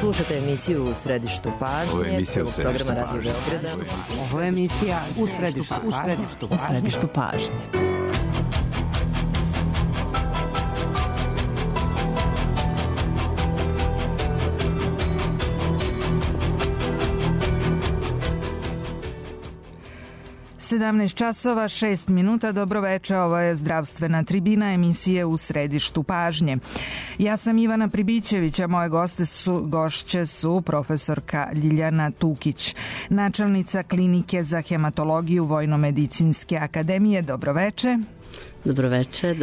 Slušate emisiju U središtu pažnje. Ovo je emisija U središtu programa Radio Beograda. Ovo je emisija U središtu pažnje. časova 6 minuta. Dobro veče, ovo je zdravstvena tribina emisije U središtu pažnje. Ja sam Ivana Pribićević, a moje gošće su profesorka Ljiljana Tukić, načelnica klinike za hematologiju Vojnomedicinske akademije. Dobro veče. Dobro večer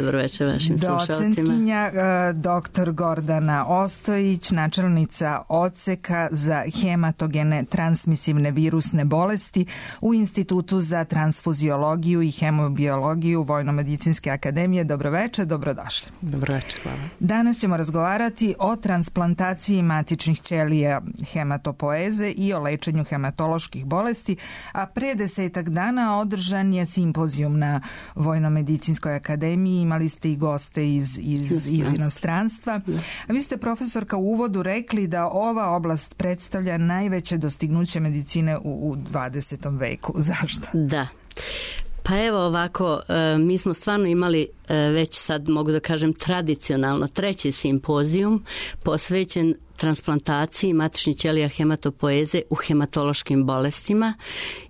vašim slušalcima. Docentkinja dr. Gordana Ostojić, načelnica odseka za hematogene transmisivne virusne bolesti u Institutu za transfuziologiju i hemobiologiju Vojnomedicinske akademije. Dobro večer, dobrodošli. Dobro večer, hvala. Danas ćemo razgovarati o transplantaciji matičnih ćelija hematopoeze i o lečenju hematoloških bolesti, a pre 10 dana održan je simpozijum na Vojnomedicinskoj akademiji, imali ste i goste iz inostranstva. A vi ste, profesorka, u uvodu rekli da ova oblast predstavlja najveće dostignuće medicine u 20. veku. Zašto? Da. Pa evo ovako, mi smo stvarno imali već sad, mogu da kažem, tradicionalno 3. simpozijum posvećen transplantaciji matičnih ćelija hematopoeze u hematološkim bolestima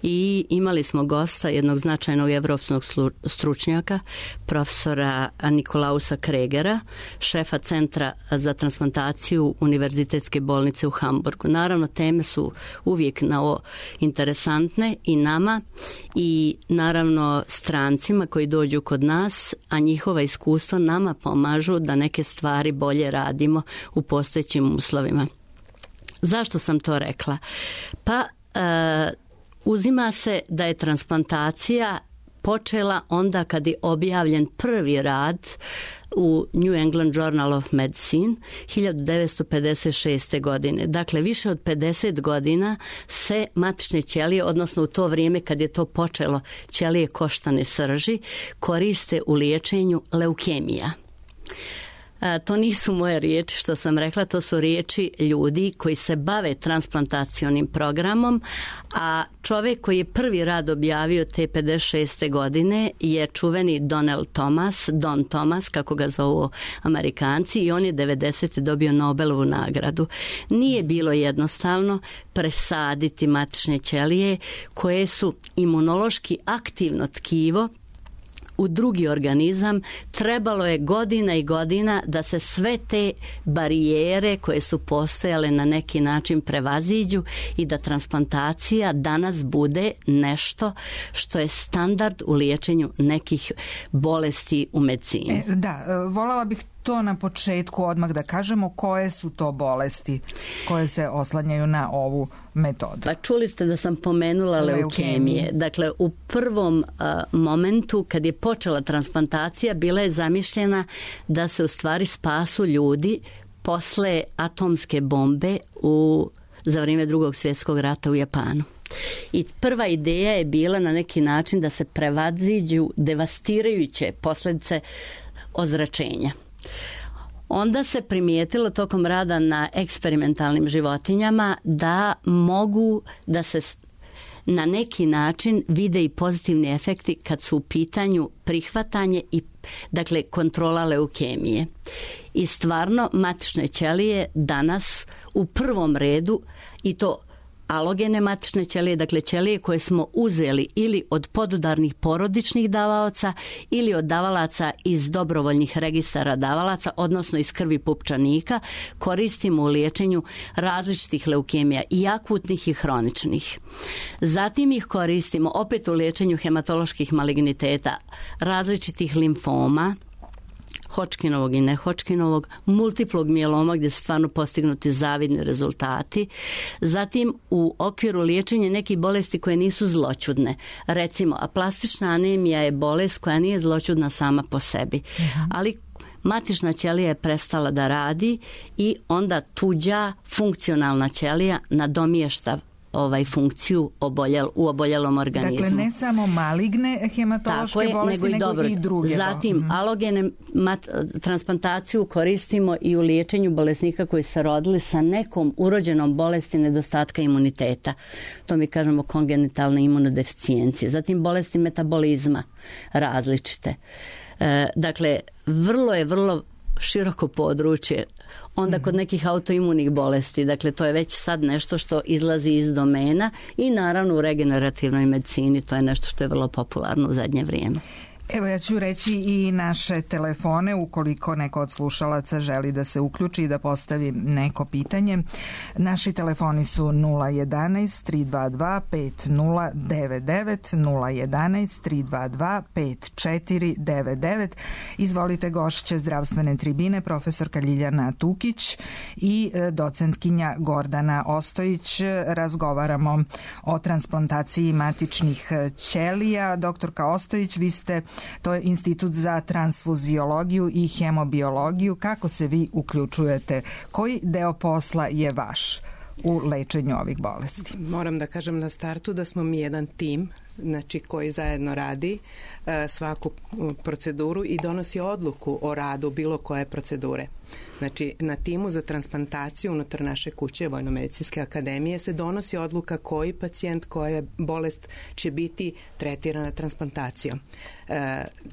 i imali smo gosta, jednog značajnog evropskog stručnjaka, profesora Nikolausa Kregera, šefa Centra za transplantaciju Univerzitetske bolnice u Hamburgu. Naravno, teme su uvijek interesantne i nama i naravno strancima koji dođu kod nas, a njihova iskustva nama pomažu da neke stvari bolje radimo u postojećim uslovima. Zašto sam to rekla? Pa uzima se da je transplantacija počela onda kad je objavljen prvi rad u New England Journal of Medicine 1956. godine. Dakle, više od 50 godina se matične ćelije, odnosno u to vrijeme kad je to počelo, ćelije koštane srži, koriste u liječenju leukemija. To nisu moje riječi što sam rekla, to su riječi ljudi koji se bave transplantacionim programom, a čovjek koji je prvi rad objavio te 56. godine je čuveni Don Thomas, kako ga zovu Amerikanci, i on je 90. dobio Nobelovu nagradu. Nije bilo jednostavno presaditi matične ćelije koje su imunološki aktivno tkivo u drugi organizam. Trebalo je godina i godina da se sve te barijere koje su postojale na neki način prevaziđu i da transplantacija danas bude nešto što je standard u liječenju nekih bolesti u medicini. Voljela bih to na početku odmah da kažemo koje su to bolesti koje se oslanjaju na ovu metodu. Pa čuli ste da sam pomenula leukemije. Dakle, u prvom momentu kad je počela transplantacija bila je zamišljena da se u stvari spasu ljudi posle atomske bombe za vrijeme Drugog svjetskog rata u Japanu. I prva ideja je bila na neki način da se prevaziđu devastirajuće posljedice ozračenja. Onda se primijetilo tokom rada na eksperimentalnim životinjama da mogu da se na neki način vide i pozitivni efekti kad su u pitanju prihvatanje i dakle kontrola leukemije. I stvarno matične ćelije danas u prvom redu, i to alogene matične ćelije, dakle ćelije koje smo uzeli ili od podudarnih porodičnih davaoca ili od davalaca iz dobrovoljnih registara davalaca, odnosno iz krvi pupčanika, koristimo u liječenju različitih leukemija, i akutnih i hroničnih. Zatim ih koristimo opet u liječenju hematoloških maligniteta, različitih limfoma, Hodgkinovog i ne Hodgkinovog, multiplog mijeloma gdje su stvarno postignuti zavidni rezultati. Zatim u okviru liječenja nekih bolesti koje nisu zloćudne. Recimo, aplastična anemija je bolest koja nije zloćudna sama po sebi, ali matična ćelija je prestala da radi i onda tuđa funkcionalna ćelija nadomješta funkciju u oboljelom organizmu. Dakle, ne samo maligne hematološke bolesti, nego i druge. Zatim, alogene transplantaciju koristimo i u liječenju bolesnika koji se rodili sa nekom urođenom bolesti nedostatka imuniteta. To mi kažemo kongenitalne imunodeficijencije. Zatim, bolesti metabolizma različite. Dakle, vrlo široko područje. Onda kod nekih autoimunih bolesti, dakle to je već sad nešto što izlazi iz domena i naravno u regenerativnoj medicini to je nešto što je vrlo popularno u zadnje vrijeme. Evo ja ću reći i naše telefone ukoliko neko od slušalaca želi da se uključi i da postavi neko pitanje. Naši telefoni su 011 322 5099 011 322 5499. Izvolite, gošće zdravstvene tribine profesorka Ljiljana Tukić i docentkinja Gordana Ostojić. Razgovaramo o transplantaciji matičnih ćelija. Doktorka Ostojić, vi ste, to je Institut za transfuziologiju i hemobiologiju. Kako se vi uključujete? Koji deo posla je vaš u lečenju ovih bolesti? Moram da kažem na startu da smo mi jedan tim, znači koji zajedno radi svaku proceduru i donosi odluku o radu bilo koje procedure. Znači, na timu za transplantaciju unutar naše kuće Vojno-medicinske akademije se donosi odluka koji pacijent, koja bolest će biti tretirana transplantacijom.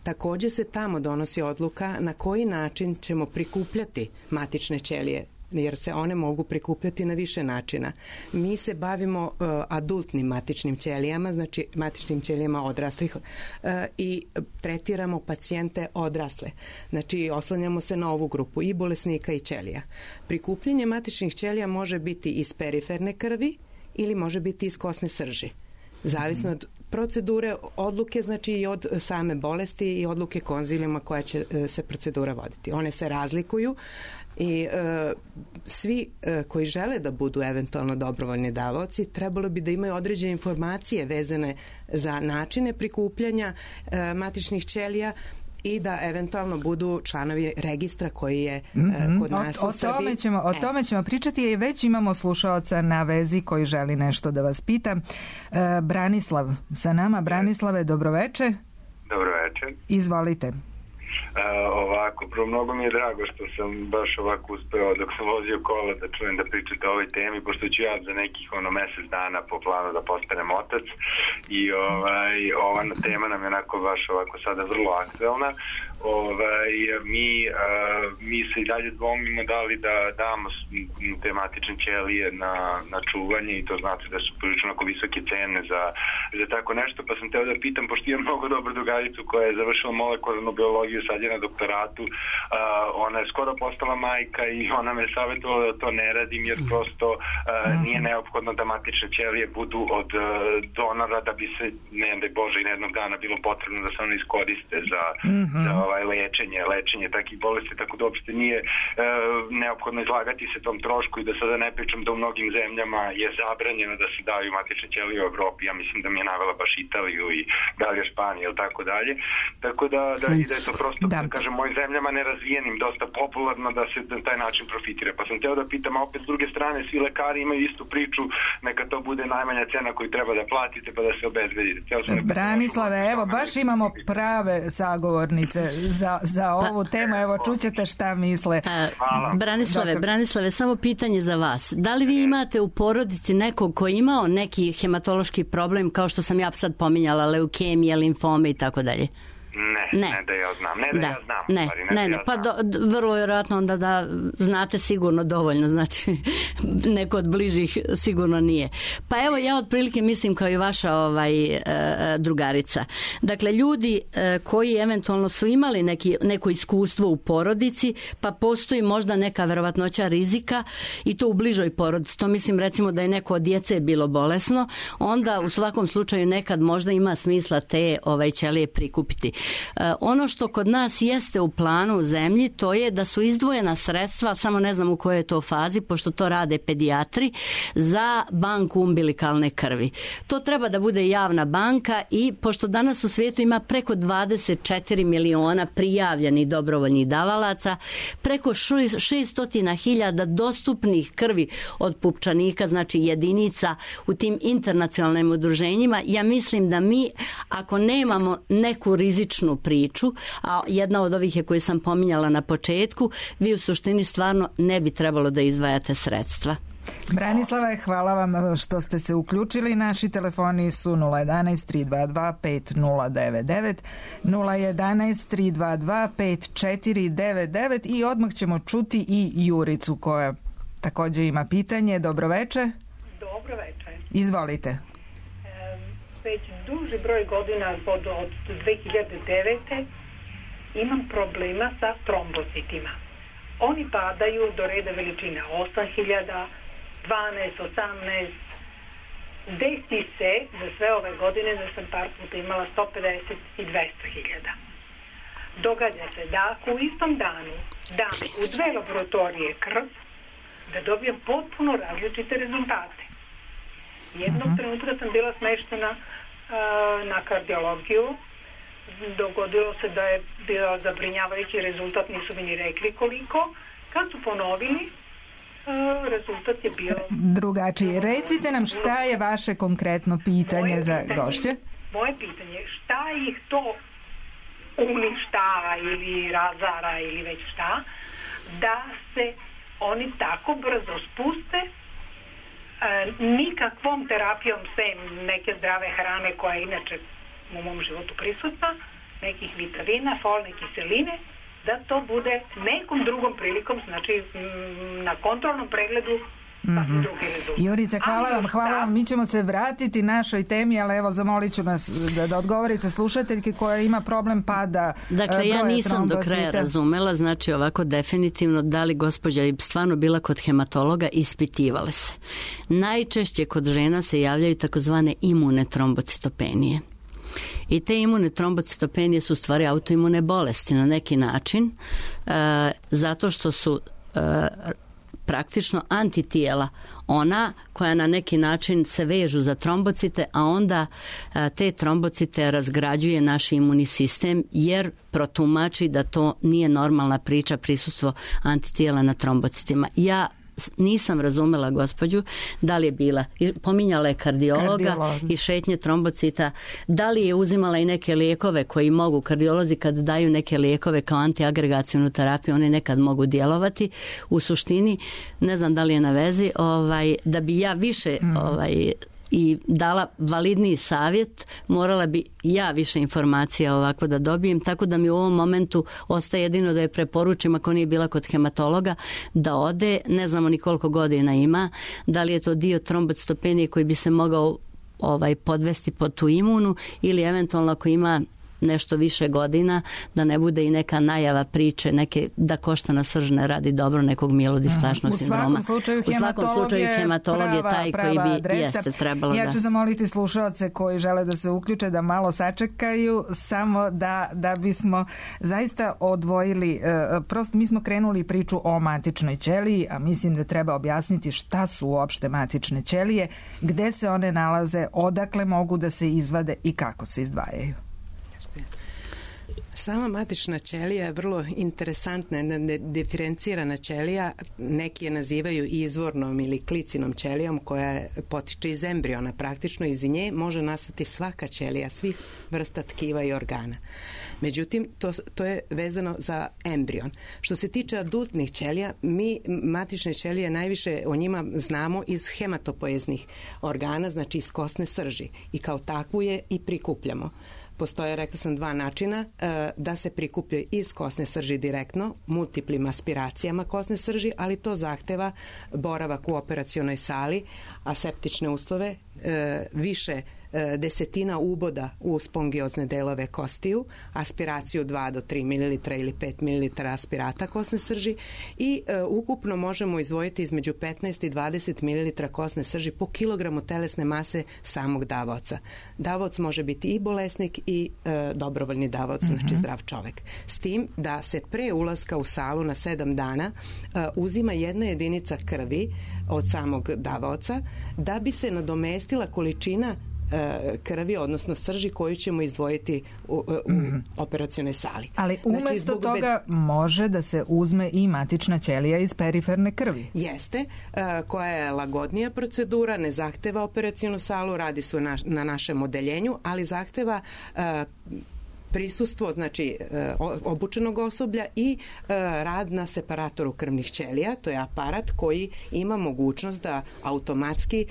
Također se tamo donosi odluka na koji način ćemo prikupljati matične ćelije, jer se one mogu prikupljati na više načina. Mi se bavimo adultnim matičnim ćelijama, znači matičnim ćelijama odraslih i tretiramo pacijente odrasle. Znači oslanjamo se na ovu grupu i bolesnika i ćelija. Prikupljanje matičnih ćelija može biti iz periferne krvi ili može biti iz kosne srži. Zavisno od procedure, odluke, znači i od same bolesti i odluke konzilijuma koja će se procedura voditi. One se razlikuju i svi koji žele da budu eventualno dobrovoljni davaoci trebalo bi da imaju određene informacije vezane za načine prikupljanja matičnih ćelija i da eventualno budu članovi registra koji je kod nas u Srbiji. O tome ćemo pričati i već imamo slušaoca na vezi koji želi nešto da vas pita. Branislav sa nama. Branislave, dobroveče. Dobroveče. Izvolite. Ovako, prvo mnogo mi je drago što sam baš ovako uspeo dok sam vozio kola da čujem da pričate o ovoj temi, pošto ću ja za nekih mjesec dana po planu da postanem otac i ova tema nam je onako baš ovako sada vrlo aktuelna. Mi se i dalje dvomimo da li da damo te matične ćelije na čuvanje i to znate da su prilično onako visoke cene za tako nešto, pa sam teo da pitam, pošto imam mnogo dobru drugaricu koja je završila molekularnu biologiju, sad je na doktoratu, ona je skoro postala majka i ona me savjetovala da to ne radim jer prosto nije neophodno da matične ćelije budu od donora da bi se, ne daj Bože, i jednog dana bilo potrebno da se one iskoriste za lečenje takih bolesti, tako da uopšte nije neophodno izlagati se tom trošku i da sada ne pričam da u mnogim zemljama je zabranjeno da se daju matične ćelije u Evropi, ja mislim da mi je navela baš Italiju i dalje Španiju ili tako dalje, tako da je to prosto, da kažem, mojim zemljama nerazvijenim dosta popularno da se na taj način profitira, pa sam teo da pitam, a opet s druge strane svi lekari imaju istu priču, neka to bude najmanja cena koju treba da platite pa da se obezbedite. Branislave, evo baš imamo prave sagovornice za ovu temu, evo čućete šta misle. Branislave, samo pitanje za vas. Da li vi imate u porodici nekog koji je imao neki hematološki problem, kao što sam ja sad pominjala, leukemije, limfome i tako dalje? Ne da ja znam. Pa vrlo vjerojatno onda da znate sigurno dovoljno, znači neko od bližih sigurno nije. Pa evo ja otprilike mislim kao i vaša drugarica. Dakle, ljudi koji eventualno su imali neko iskustvo u porodici, pa postoji možda neka verovatnoća rizika i to u bližoj porodici. To mislim recimo da je neko od djece bilo bolesno, onda u svakom slučaju nekad možda ima smisla te ćelije prikupiti. Ono što kod nas jeste u planu u zemlji, to je da su izdvojena sredstva, samo ne znam u kojoj je to fazi, pošto to rade pedijatri, za banku umbilikalne krvi. To treba da bude javna banka i pošto danas u svijetu ima preko 24 miliona prijavljenih dobrovoljnih davalaca, preko 600.000 dostupnih krvi od pupčanika, znači jedinica u tim internacionalnim udruženjima. Ja mislim da mi, ako nemamo neku rizičnu priču, a jedna od ovih je koju sam pominjala na početku, vi u suštini stvarno ne bi trebalo da izdvajate sredstva. Branislava, hvala vam što ste se uključili. Naši telefoni su 011 322 5099, 011 322 5499 i odmah ćemo čuti i Juricu koja također ima pitanje. Dobroveče. Dobroveče. Izvolite. Već duži broj godina od 2009. imam problema sa trombocitima. Oni padaju do reda veličina 8000, 12, 18. Desi se za sve ove godine da sam par puta imala 150 i 200.000. Događa se da ako u istom danu dam u 2 laboratorije krv, da dobijem potpuno različite rezultate. Jednog trenutka sam bila smeštena na kardiologiju. Dogodilo se da je bio zabrinjavajući rezultat, nisu mi ni rekli koliko. Kad su ponovili, rezultat je bio drugačiji. Recite nam šta je vaše konkretno pitanje za gošće? Moje pitanje je šta ih to uništava ili razara ili već šta, da se oni tako brzo spuste nikakvom terapijom sem neke zdrave hrane koja je inače u mom životu prisutna, nekih vitamina, folne kiseline, da to bude nekom drugom prilikom, znači na kontrolnom pregledu drugi rezultat. Jurica, hvala vam. Mi ćemo se vratiti našoj temi, ali evo zamolit ću nas da odgovorite slušateljke koja ima problem pada broja trombocita. Dakle, ja nisam do kraja razumela, znači ovako definitivno da li gospođa je stvarno bila kod hematologa, ispitivale se. Najčešće kod žena se javljaju takozvane imune trombocitopenije. I te imune trombocitopenije su u stvari autoimune bolesti na neki način, zato što su praktično antitijela, ona koja na neki način se vežu za trombocite, a onda te trombocite razgrađuje naš imunni sistem jer protumači da to nije normalna priča prisustvo antitijela na trombocitima. Ja nisam razumela gospođu da li je bila, pominjala je kardiologa i šetnje trombocita, da li je uzimala i neke lijekove koji mogu, kardiolozi kad daju neke lijekove kao antiagregacionu terapiju, oni nekad mogu djelovati. U suštini, ne znam da li je na vezi, da bi ja više i dala validniji savjet, morala bi ja više informacija ovako da dobijem, tako da mi u ovom momentu ostaje jedino da je preporučim, ako nije bila kod hematologa, da ode, ne znamo ni koliko godina ima, da li je to dio trombocitopenije koji bi se mogao podvesti pod tu imunu ili eventualno ako ima nešto više godina, da ne bude i neka najava priče, da koštana srž ne radi dobro nekog mielodisplašnog sindroma. U svakom slučaju hematolog je taj koji bi jeste trebalo da... Ja ću zamoliti slušaoce koji žele da se uključe da malo sačekaju, samo da bismo zaista odvojili, prosto mi smo krenuli priču o matičnoj ćeliji, a mislim da treba objasniti šta su uopšte matične ćelije, gde se one nalaze, odakle mogu da se izvade i kako se izdvajaju. Sama matična ćelija je vrlo interesantna, jedna diferencirana ćelija, neki je nazivaju izvornom ili klicinom ćelijom koja potiče iz embriona, praktično iz nje može nastati svaka ćelija, svih vrsta tkiva i organa. Međutim, to je vezano za embrion. Što se tiče adultnih ćelija, mi matične ćelije najviše o njima znamo iz hematopoeznih organa, znači iz kosne srži i kao takvu je i prikupljamo. Postoje, rekla sam, 2 načina da se prikupljaju iz kosne srži direktno, multiplim aspiracijama kosne srži, ali to zahteva boravak u operacionoj sali, aseptične uslove, više desetina uboda u spongiozne delove kostiju, aspiraciju 2 do 3 ml ili 5 ml aspirata kosne srži i ukupno možemo izdvojiti između 15 i 20 ml kosne srži po kilogramu telesne mase samog davaoca. Davaoc može biti i bolesnik i dobrovoljni davaoc, znači zdrav čovek. S tim da se pre ulaska u salu na 7 dana uzima 1 jedinica krvi od samog davaoca da bi se nadomestila količina krvi, odnosno srži koju ćemo izdvojiti u operacionoj sali. Ali umesto toga može da se uzme i matična ćelija iz periferne krvi. Jeste, koja je lagodnija procedura, ne zahteva operacionu salu, radi se na našem odeljenju, ali zahteva prisustvo, znači obučenog osoblja i rad na separatoru krvnih ćelija. To je aparat koji ima mogućnost da automatski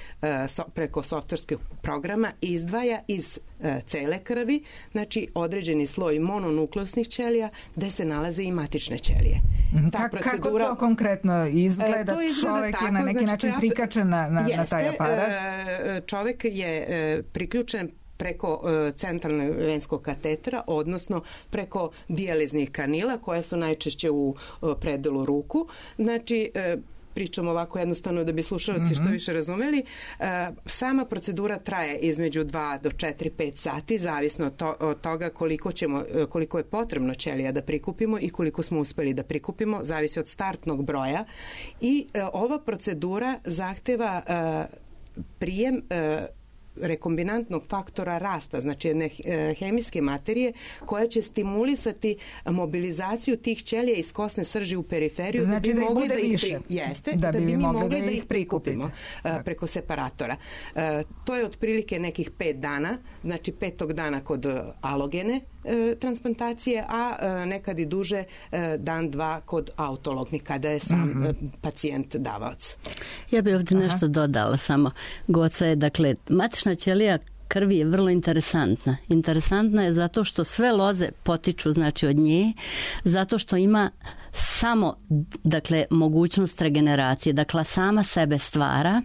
preko softverskog programa izdvaja iz cele krvi, znači određeni sloj mononukleusnih ćelija gde se nalaze i matične ćelije. Kako to konkretno izgleda? Čovek je na neki način prikačen na taj aparat? Čovek je priključen preko centralnog venskog katetera, odnosno preko dijaliznih kanila koja su najčešće u predelu ruku. Znači, pričam ovako jednostavno da bi slušalci što više razumeli. Sama procedura traje između 2 do 4-5 sati, zavisno od toga koliko je potrebno ćelija da prikupimo i koliko smo uspeli da prikupimo, zavisi od startnog broja. I ova procedura zahteva prijem rekombinantnog faktora rasta, znači jedne hemijske materije koja će stimulisati mobilizaciju tih ćelija iz kosne srži u periferiju, znači da bi mogli da bi mi mogli da ih prikupimo preko separatora. To je otprilike nekih 5 dana, znači 5. dana kod alogene transplantacije, a nekad i duže dan, 2 kod autolognih, kada je sam pacijent davaoc. Ja bih ovdje nešto dodala samo. Goca je, dakle, matična ćelija krvi je vrlo interesantna. Interesantna je zato što sve loze potiču, znači, od nje, zato što ima samo, dakle, mogućnost regeneracije. Dakle, sama sebe stvara,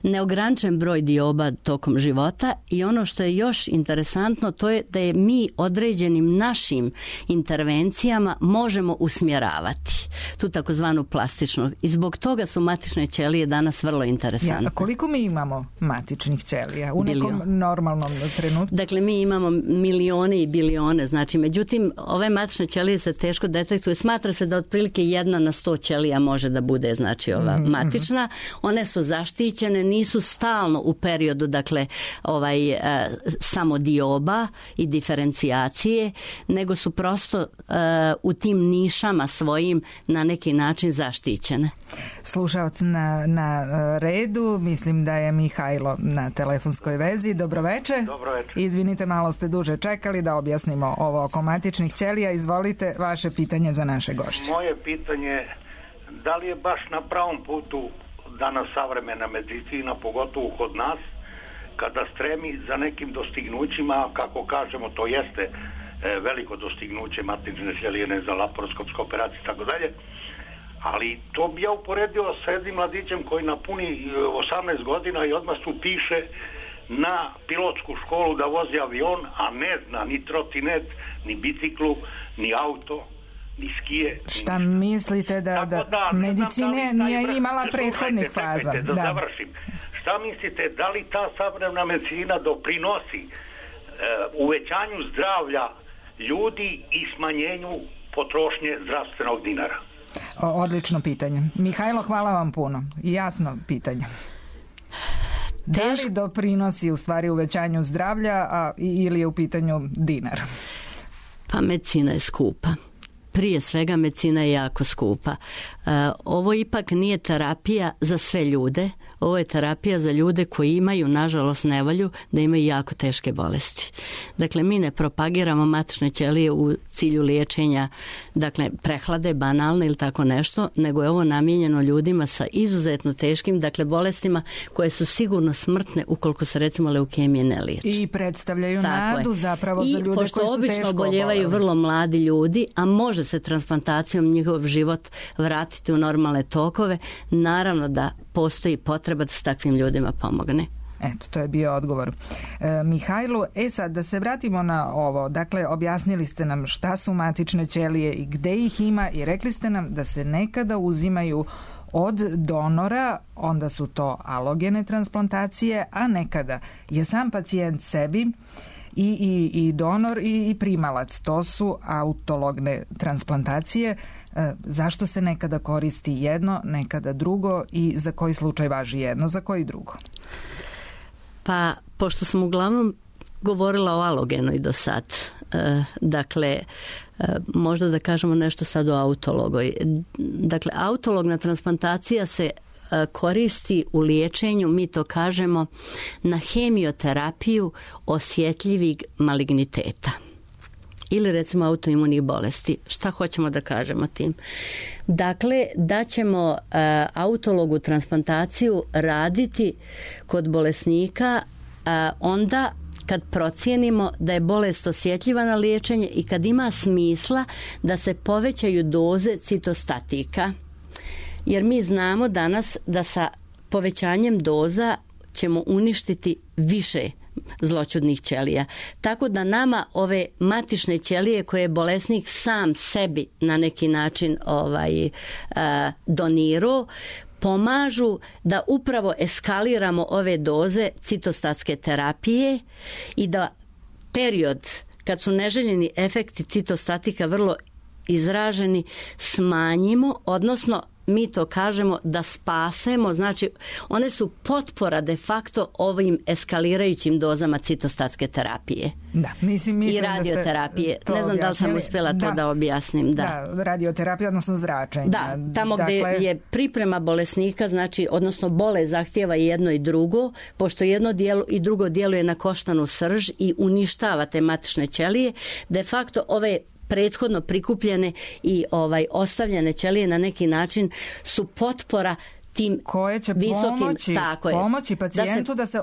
neograničen broj dioba tokom života i ono što je još interesantno to je da je mi određenim našim intervencijama možemo usmjeravati tu takozvanu plastičnu i zbog toga su matične ćelije danas vrlo interesantne. A koliko mi imamo matičnih ćelija u nekom normalnom trenutku? Dakle, mi imamo milione i bilione, znači, međutim, ove matične ćelije se teško detektuju. Smatra se da otprilike 1 na 100 ćelija može da bude, znači, ova matična. One su zaštićene, nisu stalno u periodu, dakle, samo dioba i diferencijacije, nego su prosto u tim nišama svojim na neki način zaštićene. Slušavac na redu, mislim da je Mihajlo na telefonskoj vezi. Dobroveče. Dobroveče. Izvinite, malo ste duže čekali da objasnimo ovo oko matičnih ćelija. Izvolite vaše pitanje za naše gošće. Moje pitanje, da li je baš na pravom putu danas savremena medicina, pogotovo kod nas, kada stremi za nekim dostignućima, kako kažemo, to jeste veliko dostignuće matične ćelije za laparoskopske operacije i tako dalje, ali to bi ja uporedio sa jednim mladićem koji napuni 18 godina i odmah se upiše na pilotsku školu da vozi avion, a ne zna ni trotinet, ni biciklu, ni auto, ni skije. Šta mislite da medicine nije imala prethodnih faza? Da završim. Šta mislite, da li ta savremena medicina doprinosi uvećanju zdravlja ljudi i smanjenju potrošnje zdravstvenog dinara? Odlično pitanje. Mihajlo, hvala vam puno. Jasno pitanje. Da li doprinosi u stvari uvećanju zdravlja ili je u pitanju dinar? Pa medicina je skupa. Prije svega medicina je jako skupa. Ovo ipak nije terapija za sve ljude. Ovo je terapija za ljude koji imaju, nažalost, nevolju da imaju jako teške bolesti. Dakle, mi ne propagiramo matične ćelije u cilju liječenja, dakle, prehlade, banalne ili tako nešto, nego je ovo namijenjeno ljudima sa izuzetno teškim, dakle, bolestima koje su sigurno smrtne ukoliko se, recimo, leukemije ne liječe. I predstavljaju nadu zapravo za ljude koji su teško oboljeli. I pošto obično oboljevaju vrlo mladi ljudi, a može se transplantacijom njihov život vratiti u normalne tokove, naravno da postoji potreba da se takvim ljudima pomogne. Eto, to je bio odgovor Mihajlu. Sad, da se vratimo na ovo. Dakle, objasnili ste nam šta su matične ćelije i gde ih ima i rekli ste nam da se nekada uzimaju od donora, onda su to alogene transplantacije, a nekada je sam pacijent sebi i donor i primalac. To su autologne transplantacije. Zašto se nekada koristi jedno, nekada drugo i za koji slučaj važi jedno, za koji drugo? Pa, pošto sam uglavnom govorila o alogenoj do sad, dakle, možda da kažemo nešto sad o autologoj. Dakle, autologna transplantacija se koristi u liječenju, mi to kažemo, na hemioterapiju osjetljivih maligniteta ili recimo autoimunih bolesti. Šta hoćemo da kažemo tim? Dakle, da ćemo autologu transplantaciju raditi kod bolesnika onda kad procijenimo da je bolest osjetljiva na liječenje i kad ima smisla da se povećaju doze citostatika. Jer mi znamo danas da sa povećanjem doza ćemo uništiti više zloćudnih ćelija. Tako da nama ove matične ćelije koje je bolesnik sam sebi na neki način donirao, pomažu da upravo eskaliramo ove doze citostatske terapije i da period kad su neželjeni efekti citostatika vrlo izraženi smanjimo, odnosno mi to kažemo da spasemo, znači one su potpora de facto ovim eskalirajućim dozama citostatske terapije. Da, mislim i radioterapije. Ne znam da li sam uspjela to da objasnim. Da, radioterapija, odnosno zračenje. Da, tamo gdje je priprema bolesnika, znači, odnosno bolest zahtijeva jedno i drugo, pošto jedno i drugo djeluje na koštanu srž i uništava te matične ćelije, de facto ove prethodno prikupljene i ostavljene ćelije na neki način su potpora tim koje će visokim, pomoći pacijentu da se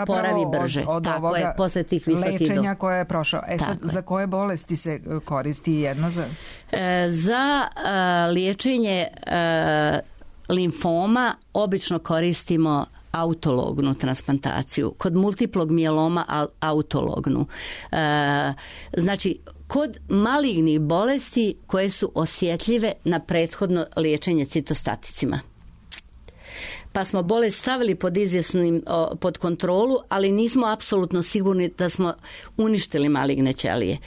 oporavi brže od ovoga je, posle tih lečenja koje je prošao. Sad, za koje bolesti se koristi jedno? Za liječenje limfoma obično koristimo autolognu transplantaciju. Kod multiplog mijeloma autolognu. Znači, kod malignih bolesti koje su osjetljive na prethodno liječenje citostaticima. Pa smo bolest stavili pod kontrolu, ali nismo apsolutno sigurni da smo uništili maligne ćelije.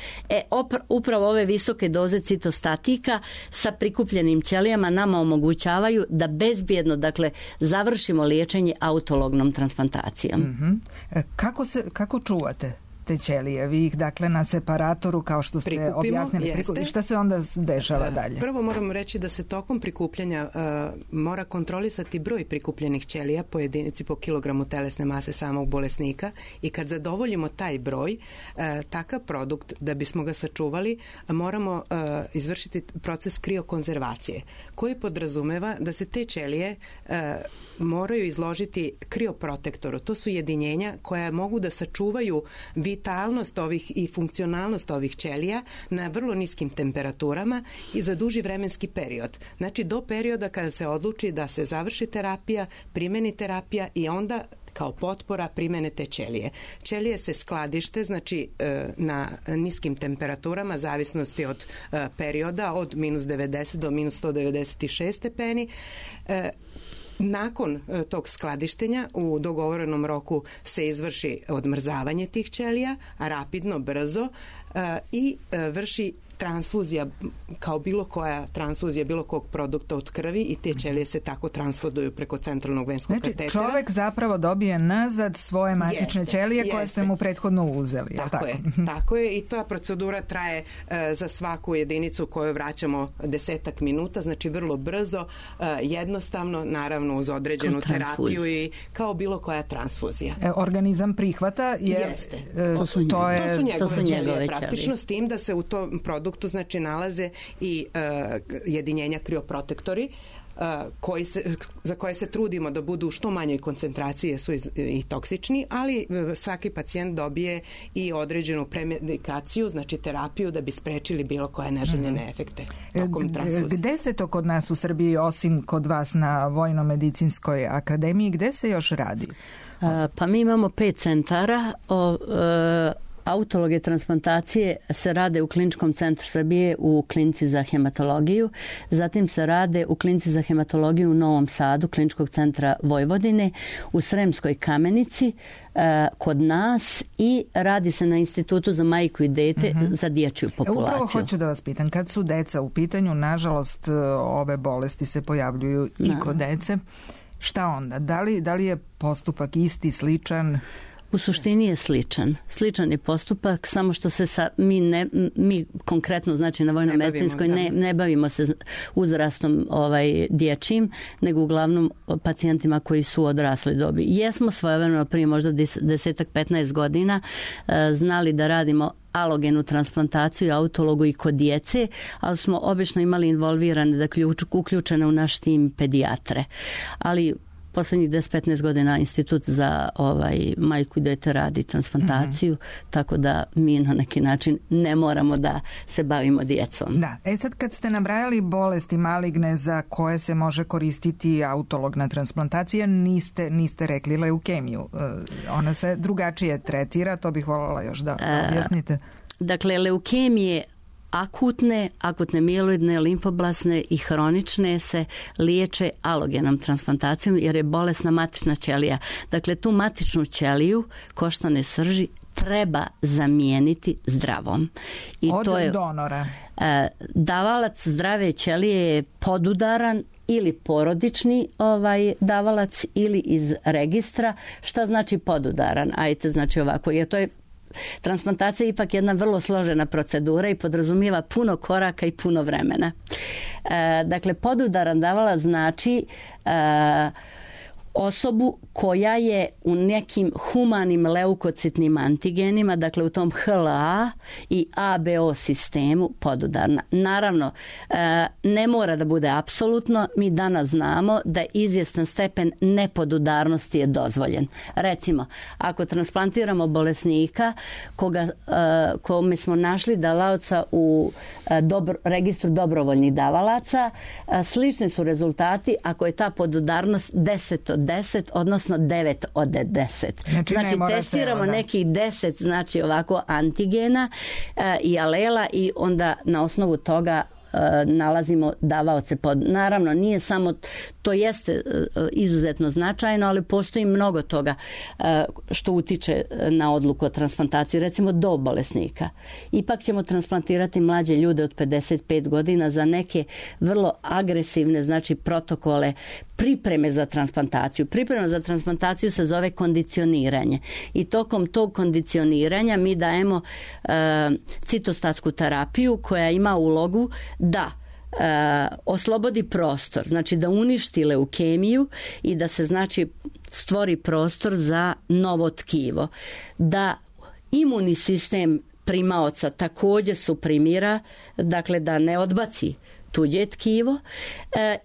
Upravo ove visoke doze citostatika sa prikupljenim ćelijama nama omogućavaju da bezbjedno, dakle, završimo liječenje autolognom transplantacijom. Kako čuvate te ćelije? Vi ih, dakle, na separatoru, kao što ste objasnili. Šta se onda dešava dalje? Prvo moram reći da se tokom prikupljanja mora kontrolisati broj prikupljenih ćelija po jedinici po kilogramu telesne mase samog bolesnika i kad zadovoljimo taj broj, takav produkt, da bismo ga sačuvali, moramo izvršiti proces kriokonzervacije, koji podrazumeva da se te ćelije moraju izložiti krioprotektoru. To su jedinjenja koja mogu da sačuvaju vitalnost ovih i funkcionalnost ovih ćelija na vrlo niskim temperaturama i za duži vremenski period. Znači, do perioda kada se odluči da se završi terapija, primeni terapija i onda kao potpora primene te ćelije. Ćelije se skladište, znači na niskim temperaturama, zavisnosti od perioda, od minus 90 do minus 196 stepeni. Nakon tog skladištenja u dogovorenom roku se izvrši odmrzavanje tih ćelija, rapidno, brzo i vrši transfuzija, kao bilo koja transfuzija bilo kog produkta od krvi i te ćelije se tako transfuduju preko centralnog venskog katetera. Čovjek zapravo dobije nazad svoje matične ćelije koje ste mu prethodno uzeli. Tako je i ta procedura traje za svaku jedinicu koju vraćamo 10 minuta, znači vrlo brzo, jednostavno, naravno uz određenu terapiju i kao bilo koja transfuzija. Organizam prihvata jeste. To su njegove ćelije praktično, s tim da se u tom produktu znači nalaze i jedinjenja krioprotektori za koje se trudimo da budu u što manjoj koncentraciji, su i toksični, ali svaki pacijent dobije i određenu premedikaciju, znači terapiju da bi sprečili bilo koje neželjene efekte tokom transfuzije. Gde se to kod nas u Srbiji, osim kod vas na Vojno-medicinskoj akademiji, gde se još radi? Pa mi imamo 5 centara. Autologe transplantacije se rade u Kliničkom centru Srbije u Klinici za hematologiju, zatim se rade u Klinici za hematologiju u Novom Sadu, Kliničkog centra Vojvodine, u Sremskoj Kamenici, kod nas i radi se na Institutu za majku i dete za dječju populaciju. Upravo hoću da vas pitam, kad su deca u pitanju, nažalost ove bolesti se pojavljuju i kod dece, šta onda? Da li je postupak isti, sličan? U suštini je sličan. Sličan je postupak, samo što se mi konkretno, znači na vojno-medicinskoj, ne bavimo se uzrastom dječjim, nego uglavnom pacijentima koji su odrasli dobi. Jesmo svojevremeno prije možda 10-15 godina znali da radimo alogenu transplantaciju, autologu i kod djece, ali smo obično imali involvirane, dakle uključene u naš tim pedijatre. Ali poslednjih 10-15 godina Institut za majku i dete radi transplantaciju, tako da mi na neki način ne moramo da se bavimo djecom. Da, sad kad ste nabrajali bolesti maligne za koje se može koristiti autologna transplantacija, niste rekli leukemiju. Ona se drugačije tretira, to bih voljela još da objasnite. Dakle, leukemije akutne mieloidne, limfoblasne i hronične se liječe alogenom transplantacijom jer je bolesna matična ćelija. Dakle, tu matičnu ćeliju koštane srži treba zamijeniti zdravom. I od to je donora. Davalac zdrave ćelije je podudaran ili porodični davalac ili iz registra. Šta znači podudaran? Ajte, znači ovako, jer to je transplantacija je ipak jedna vrlo složena procedura i podrazumijeva puno koraka i puno vremena. Dakle, podudaran davalac znači osobu koja je u nekim humanim leukocitnim antigenima, dakle u tom HLA i ABO sistemu podudarna. Naravno, ne mora da bude apsolutno. Mi danas znamo da izvjestan stepen nepodudarnosti je dozvoljen. Recimo, ako transplantiramo bolesnika kome smo našli davaoca u registru dobrovoljnih davalaca, slični su rezultati ako je ta podudarnost 10 od 10, odnosno 9 od 10. Znači testiramo nekih 10, znači ovako antigena i alela i onda na osnovu toga nalazimo davaoce naravno nije samo to jeste izuzetno značajno, ali postoji mnogo toga što utiče na odluku o transplantaciji, recimo dob bolesnika. Ipak ćemo transplantirati mlađe ljude od 55 godina za neke vrlo agresivne, znači protokole pripreme za transplantaciju. Priprema za transplantaciju se zove kondicioniranje i tokom tog kondicioniranja mi dajemo citostatsku terapiju koja ima ulogu da oslobodi prostor, znači da uništi leukemiju i da se znači stvori prostor za novo tkivo. Da imunni sistem primaoca također suprimira, dakle da ne odbaci tuđe tkivo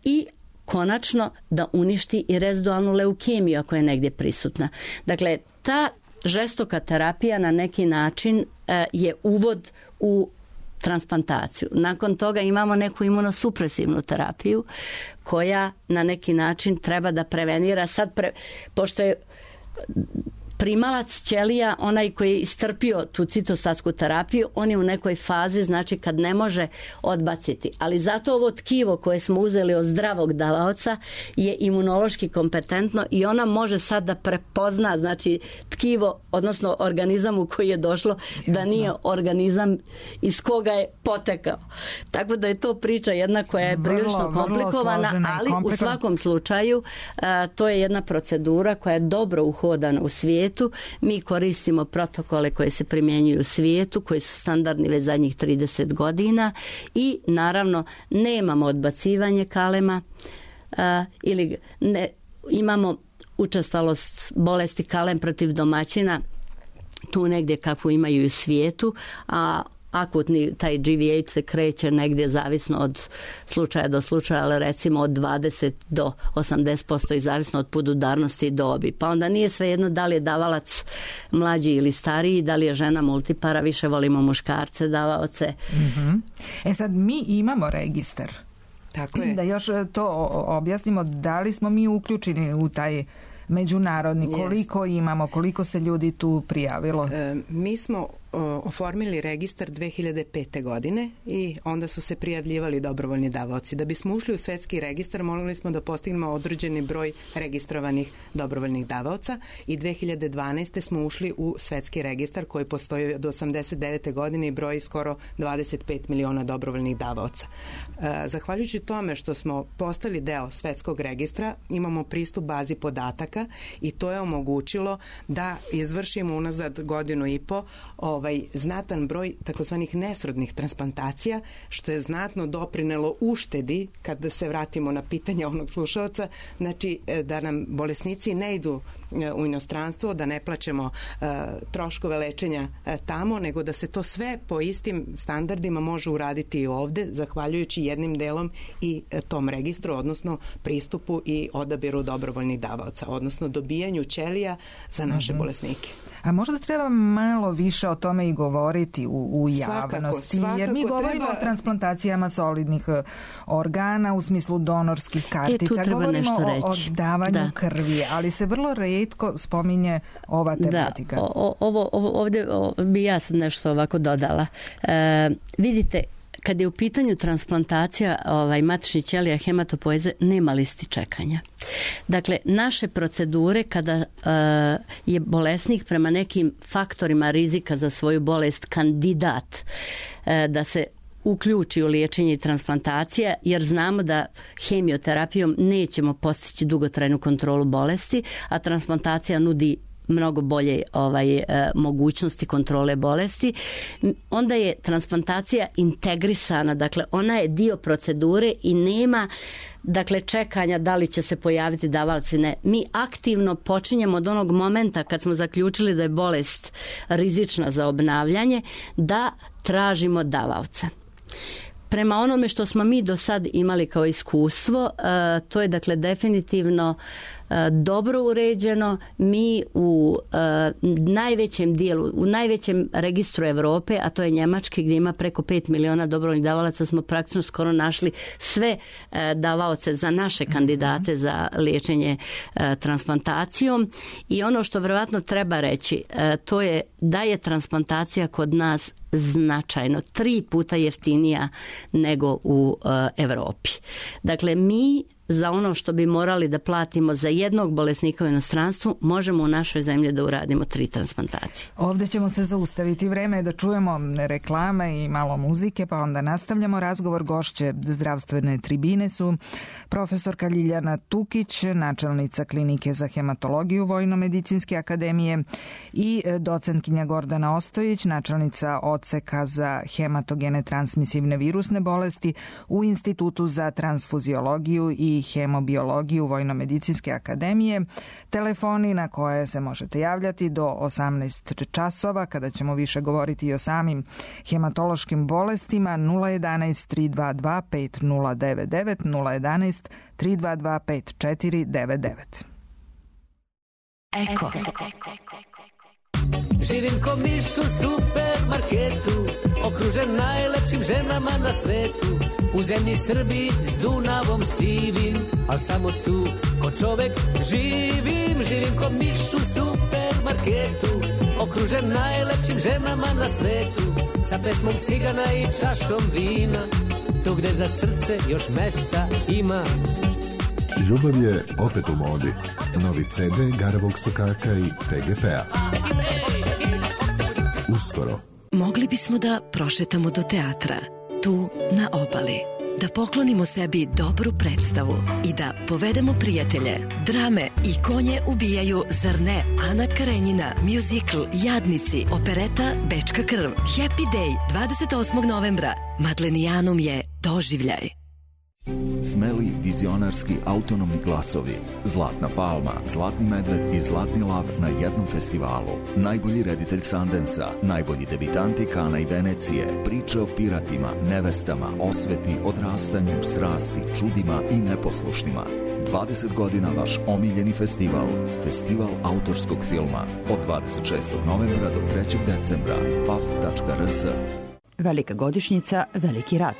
i konačno da uništi i rezidualnu leukemiju ako je negdje prisutna. Dakle, ta žestoka terapija na neki način je uvod u transplantaciju. Nakon toga imamo neku imunosupresivnu terapiju koja na neki način treba da prevenira. Pošto je primalac ćelija, onaj koji je istrpio tu citostatsku terapiju, on je u nekoj fazi, znači kad ne može odbaciti. Ali zato ovo tkivo koje smo uzeli od zdravog davaoca je imunološki kompetentno i ona može sad da prepozna, znači tkivo, odnosno organizam u koji je došlo, da nije organizam iz koga je potekao. Tako da je to priča jedna koja je prilično komplikovana, ali u svakom slučaju to je jedna procedura koja je dobro uhodana u svijetu. Mi koristimo protokole koje se primjenjuju u svijetu, koji su standardni već zadnjih 30 godina i naravno nemamo odbacivanje kalema ili imamo učestalost bolesti kalem protiv domaćina tu negdje kakvu imaju u svijetu, a akutni taj GVH se kreće negdje zavisno od slučaja do slučaja, ali recimo od 20 do 80% i zavisno od podudarnosti i dobi. Pa onda nije svejedno da li je davalac mlađi ili stariji, da li je žena multipara, više volimo muškarce davaoce. Sad mi imamo registar. Tako je. Da još to objasnimo, da li smo mi uključeni u taj međunarodni. Koliko imamo, koliko se ljudi tu prijavilo? Mi smo oformili registar 2005. godine i onda su se prijavljivali dobrovoljni davaoci. Da bismo ušli u svetski registar, morali smo da postignemo određeni broj registrovanih dobrovoljnih davaoca i 2012. smo ušli u svetski registar koji postoji od 89. godine i broji skoro 25 miliona dobrovoljnih davaoca. Zahvaljujući tome što smo postali deo svetskog registra, imamo pristup bazi podataka i to je omogućilo da izvršimo unazad godinu i po znatan broj takozvanih nesrodnih transplantacija, što je znatno doprinelo uštedi, kada se vratimo na pitanje onog slušalca, znači da nam bolesnici ne idu u inostranstvo, da ne plaćamo troškove lečenja tamo, nego da se to sve po istim standardima može uraditi i ovde, zahvaljujući jednim delom i tom registru, odnosno pristupu i odabiru dobrovoljnih davaoca, odnosno dobijanju ćelija za naše bolesnike. A možda treba malo više o tome i govoriti u javnosti, jer mi govorimo o transplantacijama solidnih organa u smislu donorskih kartica, govorimo o davanju krvi, ali se vrlo retko spominje ova tematika. Ovdje bi ja sad nešto ovako dodala. Vidite, kad je u pitanju transplantacija matičnih ćelija hematopoeze, nema listi čekanja. Dakle, naše procedure kada je bolesnik prema nekim faktorima rizika za svoju bolest kandidat da se uključi u liječenje i transplantacija, jer znamo da hemioterapijom nećemo postići dugotrajnu kontrolu bolesti, a transplantacija nudi mnogo bolje mogućnosti kontrole bolesti. Onda je transplantacija integrisana, dakle ona je dio procedure i nema čekanja da li će se pojaviti davaoci. Ne. Mi aktivno počinjemo od onog momenta kad smo zaključili da je bolest rizična za obnavljanje, da tražimo davaoca. Prema onome što smo mi do sad imali kao iskustvo, to je definitivno dobro uređeno. Mi u najvećem dijelu, u najvećem registru Evrope, a to je njemački gdje ima preko 5 miliona dobrovoljnih davalaca, smo praktično skoro našli sve davaoce za naše kandidate za liječenje transplantacijom. I ono što vjerojatno treba reći, to je da je transplantacija kod nas značajno 3 puta jeftinija nego u Evropi. Dakle, mi za ono što bi morali da platimo za jednog bolesnika u inostranstvu, možemo u našoj zemlji da uradimo 3 transplantacije. Ovdje ćemo se zaustaviti. Vreme je da čujemo reklame i malo muzike, pa onda nastavljamo razgovor. Gošće zdravstvene tribine su profesorka Ljiljana Tukić, načelnica klinike za hematologiju Vojno-medicinske akademije, i docentkinja Gordana Ostojić, načelnica odseka za hematogene transmisivne virusne bolesti u Institutu za transfuziologiju i hemobiologiju Vojno-medicinske akademije. Telefoni na koje se možete javljati do 18 časova, kada ćemo više govoriti i o samim hematološkim bolestima, 011 322 5099, 011 322 5499. Eko. Živim ko miš u supermarketu, okružen najlepšim ženama na svetu. U zemlji Srbiji s Dunavom sivim, al samo tu ko čovek živim. Živim ko miš u supermarketu, okružen najlepšim ženama na svetu. Sa pesmom cigana i čašom vina, tu gde za srce još mesta ima. Ljubav je opet u modi. Novi CD Garavog sokaka i TGP-a. Uskoro. Mogli bismo da prošetamo do teatra, tu na obali, da poklonimo sebi dobru predstavu i da povedemo prijatelje. Drame i konje ubijaju, zar ne? Ana Karenjina, muzikl Jadnici, opereta Bečka krv, Happy Day 28. novembra. Madlenijanum je doživljaj. Smeli, vizionarski, autonomni glasovi. Zlatna palma, Zlatni medved i Zlatni lav na jednom festivalu. Najbolji reditelj Sundansa, najbolji debitanti Kana i Venecije, priče o piratima, nevestama, osveti, odrastanju, strasti, čudima i neposlušnima. 20 godina vaš omiljeni festival. Festival autorskog filma. Od 26. novembra do 3. decembra. paf.rs. Velika godišnjica, veliki rat.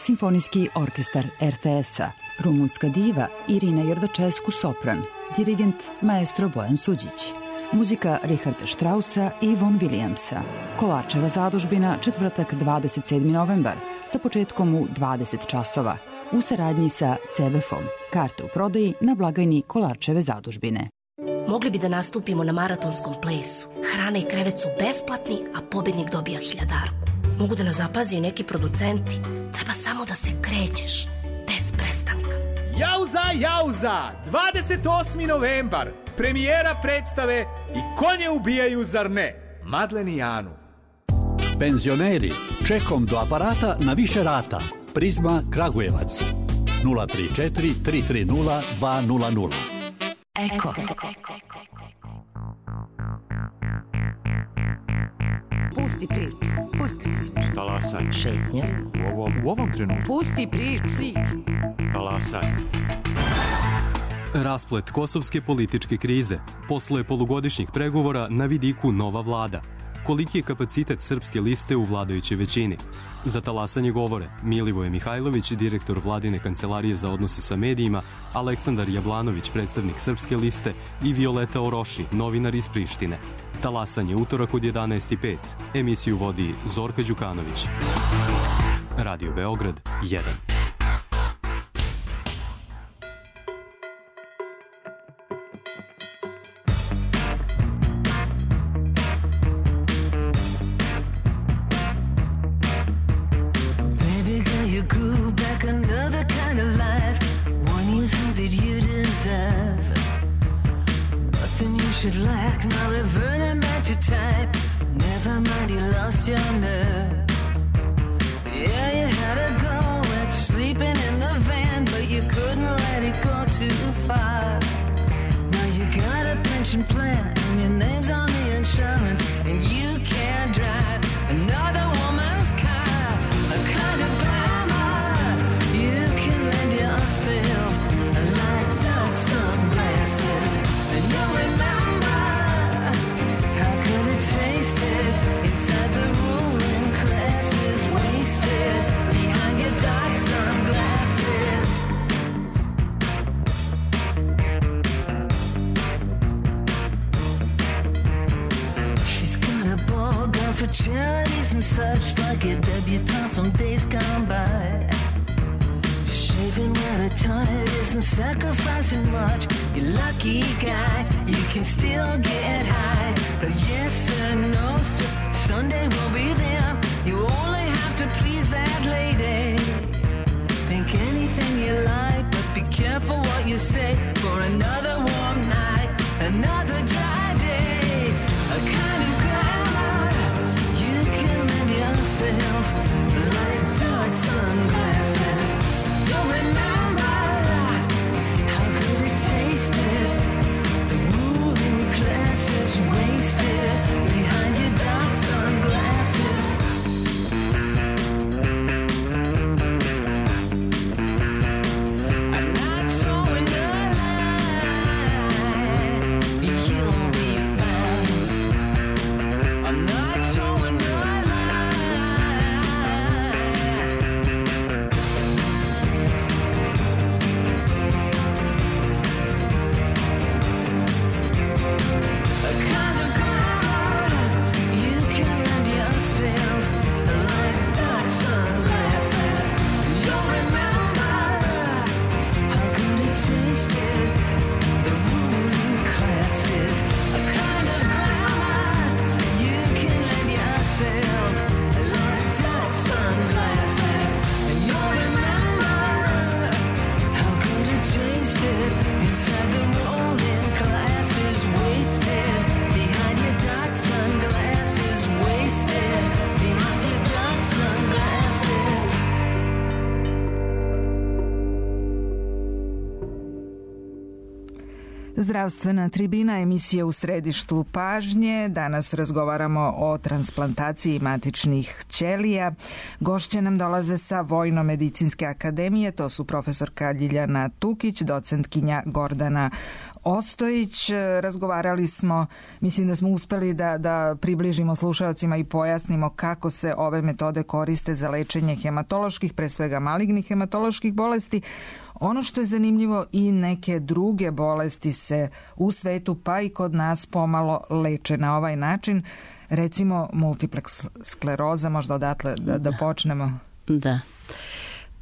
Simfonijski orkestar RTS-a, rumunska diva Irina Jordačescu sopran, dirigent maestro Bojan Suđić. Muzika Richarda Straussa i Von Williamsa. Kolarčeva zadužbina, četvrtak 27. novembar, sa početkom u 20 časova, u saradnji sa CBF-om. Karte u prodaji na blagajni Kolarčeve zadužbine. Mogli bi da nastupimo na maratonskom plesu. Hrana i krevet su besplatni, a pobednik dobija 1000-darku. Mogu da nas zapazi i neki producenti. Treba samo da se krećeš, bez prestanka. Jauza, jauza! 28. novembar! Premijera predstave I konje ubijaju, zar ne? Madlen i Janu. Penzioneri, čekom do aparata na više rata. Prizma Kragujevac. 034 330 200. Eko. Pusti priču. Pusti priču. Talasaj. Šetnja. U ovom trenutku. Pusti priču. Talasaj. Rasplet kosovske političke krize. Posle polugodišnjih pregovora na vidiku nova vlada. Koliki je kapacitet srpske liste u vladajućoj većini? Za talasanje govore Milivoje Mihajlović, direktor vladine kancelarije za odnose sa medijima, Aleksandar Jablanović, predstavnik srpske liste i Violeta Oroši, novinar iz Prištine. Talasanje utorak od 11:05. Emisiju vodi Zorka Đukanović. Radio Beograd 1. Should lack, now reverting back to type. Never mind, you lost your nerve. Yeah, you had to go at sleeping in the van, but you couldn't let it go too far. Now you got a pension plan, and your name's on the insurance, and you can't drive another woman's car. A kind of glamour you can lend yourself, like dark sunglasses, and you'll remember. Tasted inside the ruling classes, wasted behind your dark sunglasses. She's got a ball gown for charities and such, like a debutante from days gone by. Shaving where her tired isn't sacrificing much. You lucky guy, you can still get high. Yes sir, no sir, Sunday will be there. You only have to please that lady. Think anything you like, but be careful what you say. For another warm night, another dry day. A kind of glamour you can lend yourself, like dark sunglasses. You'll remember how good it tasted. The ruling classes wasted behind your dark sunglasses. I'm not throwing a lie, you'll be fine. I'm not throwing a Zdravstvena tribina, emisija u središtu pažnje. Danas razgovaramo o transplantaciji matičnih ćelija. Gošće nam dolaze sa Vojno-medicinske akademije, to su profesorka Ljiljana Tukić, docentkinja Gordana Ostojić. Razgovarali smo, mislim da smo uspeli da približimo slušalcima i pojasnimo kako se ove metode koriste za lečenje hematoloških, pre svega malignih hematoloških bolesti. Ono što je zanimljivo, i neke druge bolesti se u svetu pa i kod nas pomalo leče na ovaj način. Recimo multiplex skleroza, možda odatle da počnemo. Da,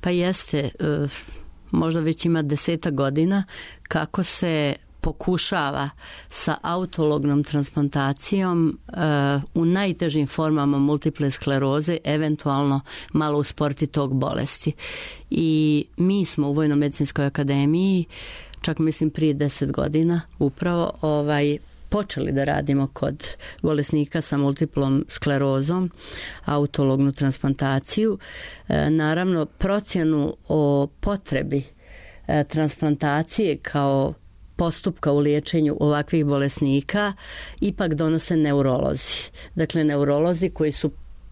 pa jeste, možda već ima 10 godina kako se pokušava sa autolognom transplantacijom u najtežim formama multiple skleroze eventualno malo usporiti tog bolesti. I mi smo u Vojno-medicinskoj akademiji, čak mislim prije 10 godina upravo počeli da radimo kod bolesnika sa multiplom sklerozom, autolognu transplantaciju. Naravno, procjenu o potrebi transplantacije kao postupka u liječenju ovakvih bolesnika ipak donose neurolozi. Dakle, neurolozi koji su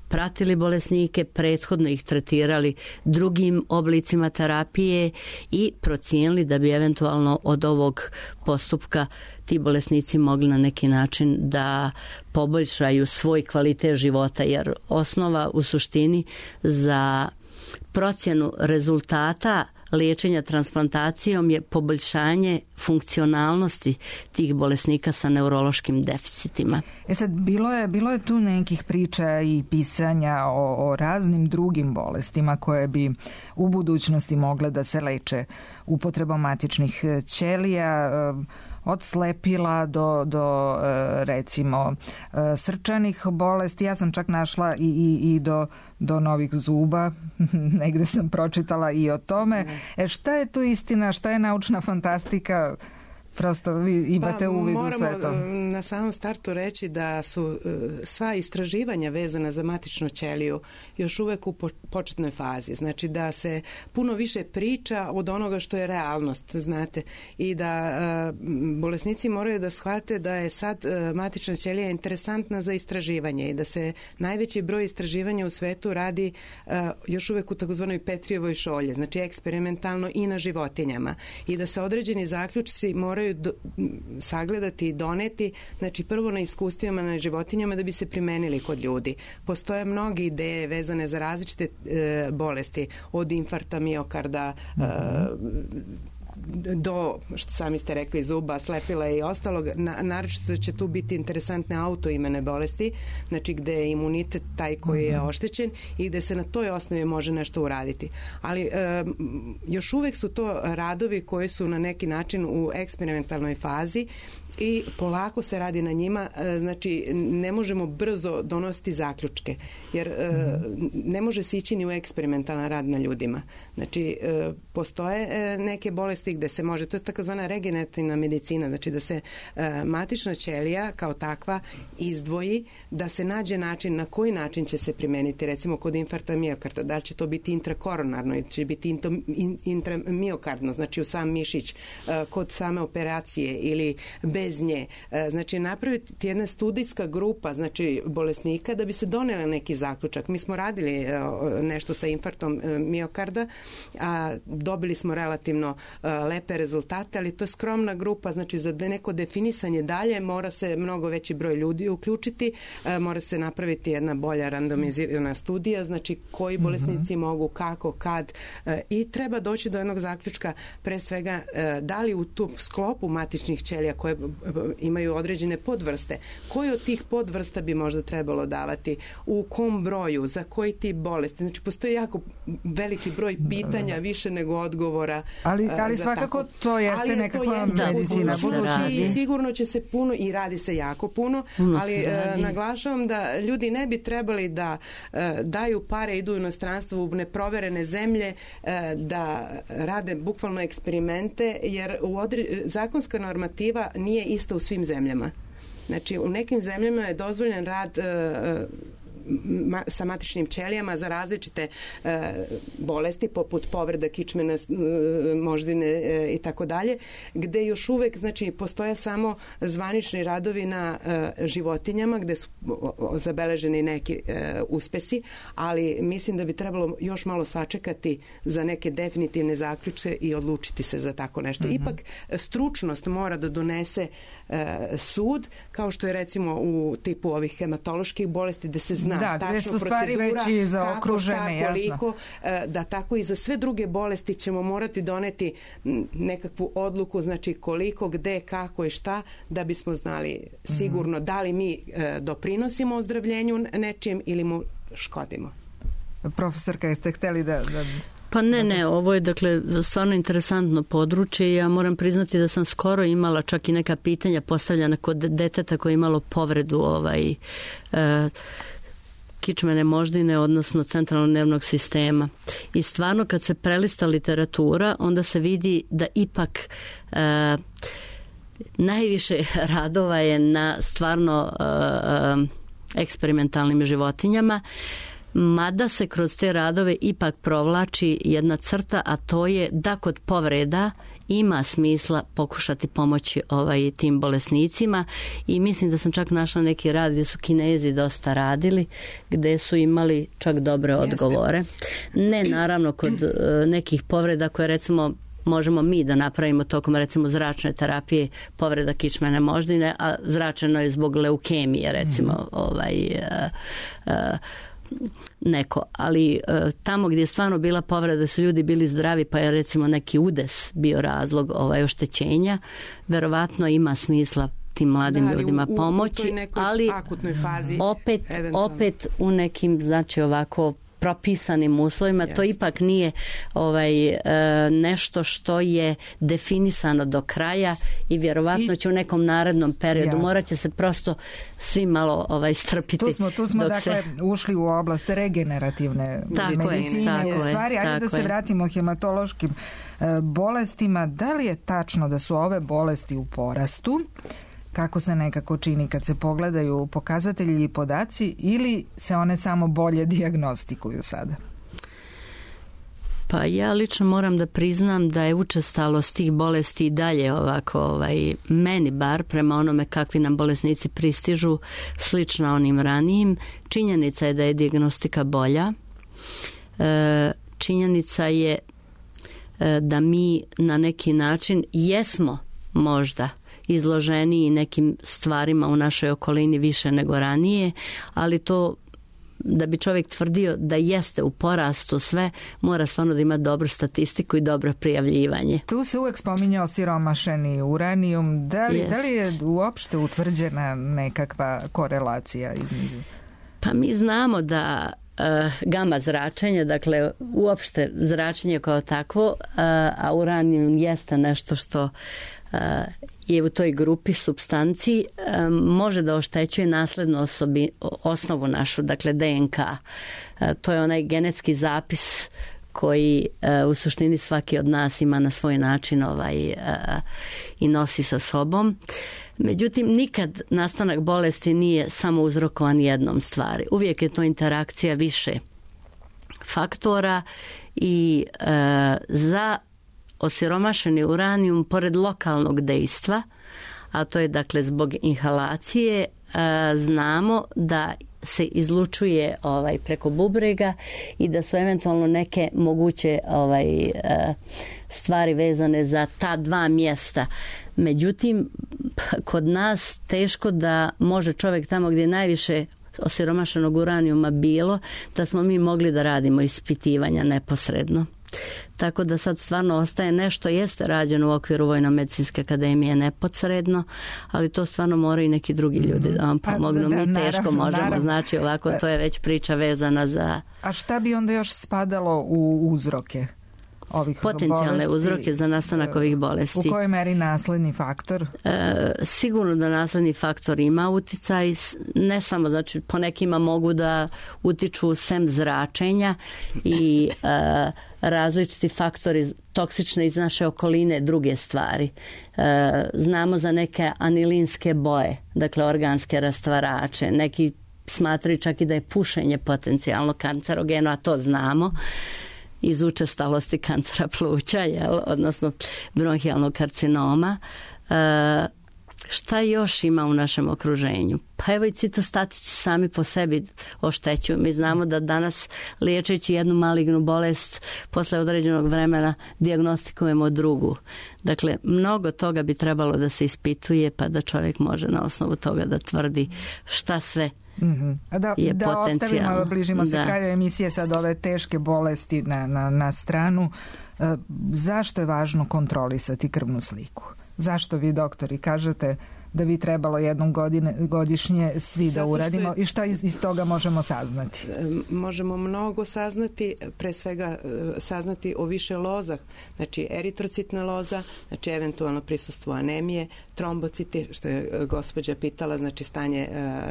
pratili bolesnike, prethodno ih tretirali drugim oblicima terapije i procijenili da bi eventualno od ovog postupka ti bolesnici mogli na neki način da poboljšaju svoj kvalitet života, jer osnova u suštini za procjenu rezultata liječenja transplantacijom je poboljšanje funkcionalnosti tih bolesnika sa neurološkim deficitima. Sad, bilo je tu nekih priča i pisanja o raznim drugim bolestima koje bi u budućnosti mogle da se leče upotrebom matičnih ćelija, od slepila do recimo srčanih bolesti. Ja sam čak našla i do novih zuba, negde sam pročitala i o tome. Šta je tu istina, šta je naučna fantastika? Prosto vi imate uvid u sve to. Moramo na samom startu reći da su sva istraživanja vezana za matičnu ćeliju još uvek u početnoj fazi. Znači da se puno više priča od onoga što je realnost, znate. I da bolesnici moraju da shvate da je sad matična ćelija interesantna za istraživanje i da se najveći broj istraživanja u svetu radi još uvek u takozvanoj Petrijevoj šolje, znači eksperimentalno i na životinjama. I da se određeni zaključci moraju sagledati i doneti, znači prvo na iskustvima na životinjama da bi se primenili kod ljudi. Postoje mnoge ideje vezane za različite bolesti, od infarkta miokarda, do, što sami ste rekli, zuba, slepila i ostalog. Naročito će tu biti interesantne autoimune bolesti, znači gde je imunitet taj koji je oštećen i gde se na toj osnovi može nešto uraditi. Ali još uvek su to radovi koji su na neki način u eksperimentalnoj fazi i polako se radi na njima, znači ne možemo brzo donositi zaključke, jer ne može se ići ni u eksperimentalan rad na ljudima. Znači, postoje neke bolesti gde se može, to je takozvana regenerativna medicina, znači da se matična ćelija kao takva izdvoji, da se nađe način na koji način će se primeniti, recimo kod infarkta miokarda, da li će to biti intrakoronarno ili će biti intramiokardno, znači u sam mišić, kod same operacije ili bez nje. Znači napraviti jedna studijska grupa, znači bolesnika, da bi se donela neki zaključak. Mi smo radili nešto sa infarktom miokarda, a dobili smo relativno lepe rezultate, ali to je skromna grupa, znači za neko definisanje dalje mora se mnogo veći broj ljudi uključiti, mora se napraviti jedna bolja randomizirana studija, znači koji bolesnici mogu, kako, kad, i treba doći do jednog zaključka, pre svega da li u tu sklopu matičnih ćelija koje imaju određene podvrste, koji od tih podvrsta bi možda trebalo davati, u kom broju, za koji tip bolesti. Znači postoji jako veliki broj pitanja, više nego odgovora. Ali svakako to jeste nekakva medicina budućnosti. I sigurno će se puno, i radi se jako puno, ali naglašavam da ljudi ne bi trebali da daju pare, idu u inostranstvo, u neproverene zemlje, da rade bukvalno eksperimente, jer zakonska normativa nije ista u svim zemljama. Znači, u nekim zemljama je dozvoljen rad sa matičnim ćelijama za različite bolesti poput povreda kičmene, moždine i tako dalje, gde još uvek, znači, postoje samo zvanični radovi na životinjama gde su zabeleženi neki uspesi, ali mislim da bi trebalo još malo sačekati za neke definitivne zaključke i odlučiti se za tako nešto. Ipak stručnost mora da donese sud, kao što je recimo u tipu ovih hematoloških bolesti, gde se zna zna tačno procedura kako, šta, koliko, da tako i za sve druge bolesti ćemo morati doneti nekakvu odluku, znači koliko, gde, kako i šta, da bismo znali sigurno da li mi doprinosimo ozdravljenju nečijem ili mu škodimo. Profesorka, jeste hteli da... Pa ne, ovo je dakle stvarno interesantno područje. Ja moram priznati da sam skoro imala čak i neka pitanja postavljena kod deteta koje je imalo povredu kičmene moždine, odnosno centralnog nervnog sistema. I stvarno kad se prelista literatura, onda se vidi da ipak najviše radova je na stvarno eksperimentalnim životinjama, mada se kroz te radove ipak provlači jedna crta, a to je da kod povreda ima smisla pokušati pomoći tim bolesnicima i mislim da sam čak našla neki rad gdje su Kinezi dosta radili, gdje su imali čak dobre odgovore. Ne naravno kod nekih povreda koje recimo možemo mi da napravimo tokom recimo zračne terapije, povreda kičmene moždine, a zračeno je zbog leukemije recimo neko, ali tamo gdje je stvarno bila povreda, su ljudi bili zdravi, pa je recimo neki udes bio razlog oštećenja, verovatno ima smisla tim mladim ljudima pomoći, ali fazi, opet u nekim, znači ovako propisanim uslovima, to ipak nije nešto što je definisano do kraja i vjerovatno će u nekom narednom periodu morat će se prosto svi malo strpiti. Tu smo dakle ušli u oblast regenerativne medicine stvari. Ajde da se vratimo hematološkim bolestima. Da li je tačno da su ove bolesti u porastu? Kako se nekako čini kad se pogledaju pokazatelji i podaci, ili se one samo bolje dijagnostikuju sada? Pa ja lično moram da priznam da je učestalost tih bolesti i dalje ovako, meni bar, prema onome kakvi nam bolesnici pristižu, slična onim ranijim. Činjenica je da je dijagnostika bolja. Činjenica je da mi na neki način jesmo možda izloženiji nekim stvarima u našoj okolini više nego ranije, ali to da bi čovjek tvrdio da jeste u porastu sve, mora stvarno da ima dobru statistiku i dobro prijavljivanje. Tu se uvek spominjao siromašeni uranijum. Da li je uopšte utvrđena nekakva korelacija između? Pa mi znamo da gama zračenje, dakle uopšte zračenje kao takvo, a uranijum jeste nešto što je u toj grupi supstanciji, može da oštećuje naslednu osnovu našu, dakle DNK. To je onaj genetski zapis koji u suštini svaki od nas ima na svoj način i nosi sa sobom. Međutim, nikad nastanak bolesti nije samo uzrokovan jednom stvari. Uvijek je to interakcija više faktora i za osiromašeni uranijum, pored lokalnog dejstva, a to je dakle zbog inhalacije, znamo da se izlučuje preko bubrega i da su eventualno neke moguće stvari vezane za ta dva mjesta. Međutim, kod nas teško da može čovjek tamo gdje je najviše osiromašenog uranijuma bilo, da smo mi mogli da radimo ispitivanja neposredno. Tako da sad stvarno ostaje nešto, jeste rađeno u okviru Vojno-medicinske akademije neposredno, ali to stvarno moraju i neki drugi ljudi da vam pomognu. Mi teško možemo, znači ovako to je već priča vezana za... A šta bi onda još spadalo u uzroke ovih potencijalne bolesti? Uzroke za nastanak ovih bolesti? U kojoj meri nasledni faktor? Sigurno da nasledni faktor ima uticaj, ne samo, znači po nekima mogu da utiču sem zračenja i različiti faktori toksične iz naše okoline, druge stvari. Znamo za neke anilinske boje, dakle organske rastvarače, neki smatraju čak i da je pušenje potencijalno kancerogeno, a to znamo iz učestalosti kancera pluća, odnosno bronhijalnog karcinoma. Šta još ima u našem okruženju? Pa evo i citostatici sami po sebi oštećuju. Mi znamo da danas liječeći jednu malignu bolest posle određenog vremena dijagnostikujemo drugu. Dakle, mnogo toga bi trebalo da se ispituje pa da čovjek može na osnovu toga da tvrdi šta sve Da ostavimo, bližimo se kraju emisije, sad ove teške bolesti na stranu. Zašto je važno kontrolisati krvnu sliku? Zašto vi, doktori, kažete da bi trebalo jednom godišnje svi da uradimo i šta iz toga možemo saznati? Možemo mnogo saznati, pre svega saznati o više loza, znači eritrocitna loza, znači eventualno prisustvo anemije, trombociti, što je gospođa pitala, znači stanje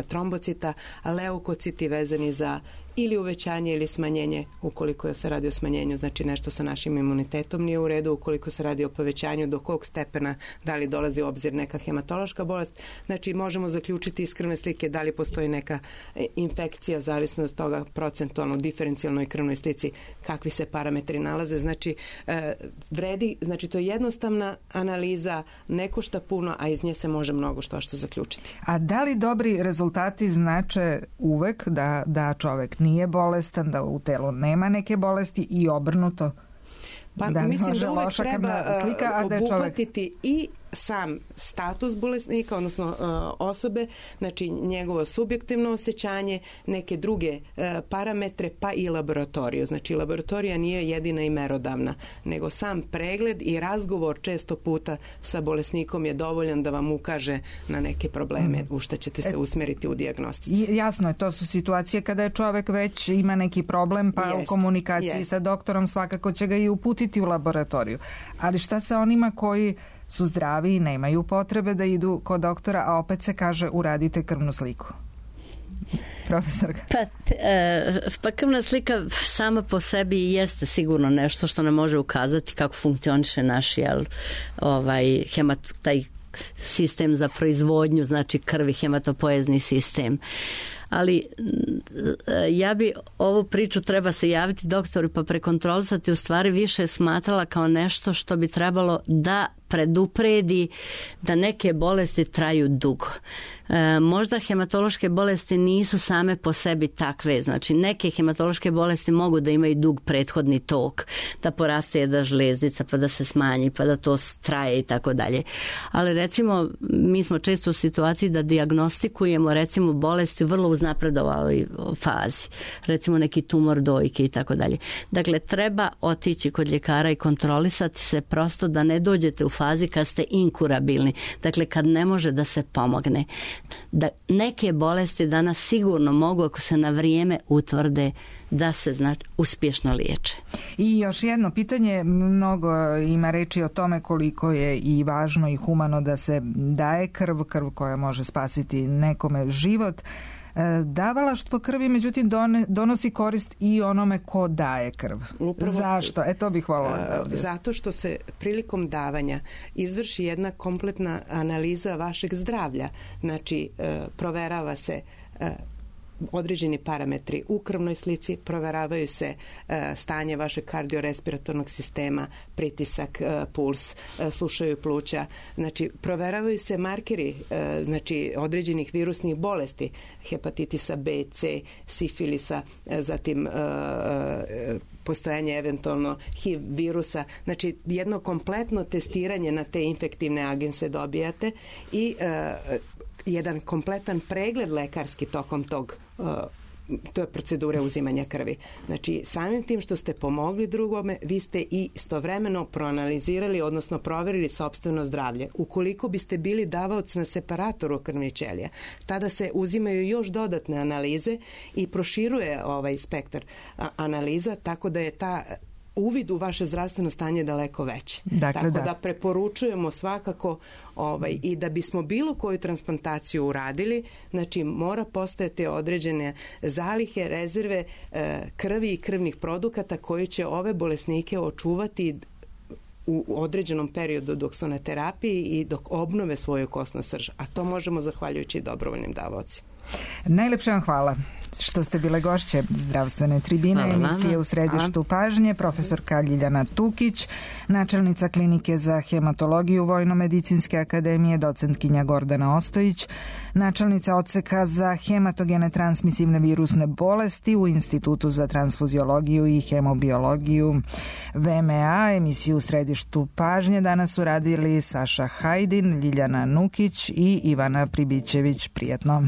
trombocita, a leukociti vezani za ili uvećanje ili smanjenje, ukoliko se radi o smanjenju, znači nešto sa našim imunitetom nije u redu, ukoliko se radi o povećanju, do kog stepena, da li dolazi u obzir neka hematološka bolest, znači možemo zaključiti iz krvne slike da li postoji neka infekcija, zavisno od toga procentualno, diferencijalnoj krvnoj slici, kakvi se parametri nalaze, znači vredi, znači to je jednostavna analiza, ne košta puno, a iz nje se može mnogo što zaključiti. A da li dobri rezultati znače uvek da čovek nije bolestan, da u telu nema neke bolesti i obrnuto? Pa mislim da uvek treba obuhvatiti i sam status bolesnika, odnosno osobe, znači njegovo subjektivno osjećanje, neke druge parametre, pa i laboratoriju. Znači laboratorija nije jedina i merodavna, nego sam pregled i razgovor često puta sa bolesnikom je dovoljan da vam ukaže na neke probleme u što ćete se usmeriti u dijagnostici. Jasno je, to su situacije kada je čovek već ima neki problem, pa u komunikaciji sa doktorom svakako će ga i uputiti u laboratoriju. Ali šta sa onima koji su zdravi i nemaju potrebe da idu kod doktora, a opet se kaže uradite krvnu sliku? Profesorka. Pa krvna slika sama po sebi jeste sigurno nešto što nam može ukazati kako funkcioniše naš taj sistem za proizvodnju, znači krvi, hematopoezni sistem. Ali ja bi ovu priču treba se javiti doktoru pa prekontrolisati, u stvari više smatrala kao nešto što bi trebalo da predupredi da neke bolesti traju dugo. Možda hematološke bolesti nisu same po sebi takve, znači neke hematološke bolesti mogu da imaju dug prethodni tok, da poraste jedna žlezdica pa da se smanji pa da to traje i tako dalje. Ali recimo mi smo često u situaciji da dijagnostikujemo recimo bolesti vrlo uznapredovaloj fazi, recimo neki tumor dojke i tako dalje. Dakle, treba otići kod ljekara i kontrolisati se prosto da ne dođete u fazi kad ste inkurabilni, dakle kad ne može da se pomogne. Da neke bolesti danas sigurno mogu, ako se na vrijeme utvrde, da se uspješno liječe. I još jedno pitanje, mnogo ima reči o tome koliko je i važno i humano da se daje krv koja može spasiti nekome život. Davalaštvo krvi, međutim, donosi korist i onome ko daje krv. Zašto? To bih voljela. Zato što se prilikom davanja izvrši jedna kompletna analiza vašeg zdravlja. Znači, proverava se određeni parametri u krvnoj slici, proveravaju se stanje vašeg kardiorespiratornog sistema, pritisak, puls, slušaju pluća, znači proveravaju se markeri, znači određenih virusnih bolesti, hepatitisa B, C, sifilisa, zatim postojanje eventualno HIV virusa, znači jedno kompletno testiranje na te infektivne agense dobijate i jedan kompletan pregled lekarski tokom to je procedure uzimanja krvi. Znači, samim tim što ste pomogli drugome, vi ste i istovremeno proanalizirali, odnosno proverili sopstveno zdravlje. Ukoliko biste bili davaoc na separatoru krvnih ćelija, tada se uzimaju još dodatne analize i proširuje ovaj spektar analiza, tako da je ta uvid u vaše zdravstveno stanje daleko veće. Tako da preporučujemo svakako i da bismo bilo koju transplantaciju uradili, znači mora postojati određene zalihe, rezerve krvi i krvnih produkata koji će ove bolesnike očuvati u određenom periodu dok su na terapiji i dok obnove svoju kosnu srž. A to možemo zahvaljujući dobrovoljnim davaocima. Najlepše vam hvala što ste bile gošće Zdravstvene tribine, emisije U središtu pažnje, profesorka Ljiljana Tukić, načelnica klinike za hematologiju Vojno-medicinske akademije, docentkinja Gordana Ostojić, načelnica odseka za hematogene transmisivne virusne bolesti u Institutu za transfuziologiju i hemobiologiju VMA. Emisiju U središtu pažnje danas su radili Saša Hajdin, Ljiljana Nukić i Ivana Pribićević. Prijetno.